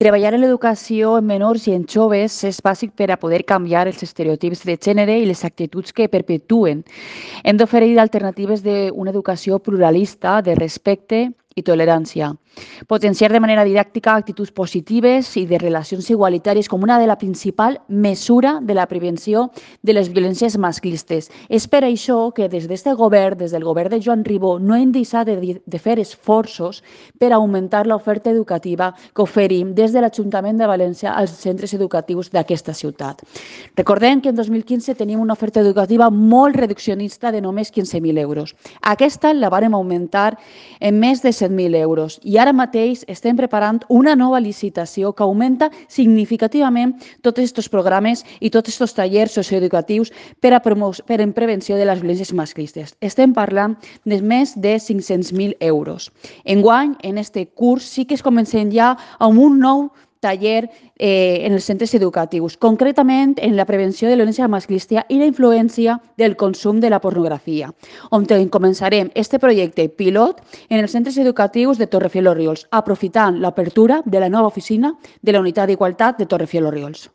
Treballar en l'educació en menors i en joves és bàsic per a poder canviar els estereotips de gènere i les actituds que perpetuen. Hem d'oferir alternatives d'una educació pluralista, de respecte i tolerància. Potenciar de manera didàctica actituds positives i de relacions igualitàries com una de la principal mesura de la prevenció de les violències masclistes. És per això que des d'este govern, des del govern de Joan Ribó, no hem deixat de fer esforços per augmentar l'oferta educativa que oferim des de l'Ajuntament de València als centres educatius d'aquesta ciutat. Recordem que en 2015 tenim una oferta educativa molt reduccionista de només 15.000 euros. Aquesta la vàrem augmentar en més de 100.000 euros i ara mateix estem preparant una nova licitació que augmenta significativament tots aquests programes i tots aquests tallers socioeducatius per en prevenció de les violències masclistes. Estem parlant de més de 500.000 euros. Enguany, en este curs, sí que es comencem ja amb un nou taller en els centres educatius, concretament en la prevenció de la violència masclista i la influència del consum de la pornografia, on començarem este projecte pilot en els centres educatius de Torrefielos Riols, aprofitant l'apertura de la nova oficina de la Unitat d'Igualtat de Torrefielos Riols.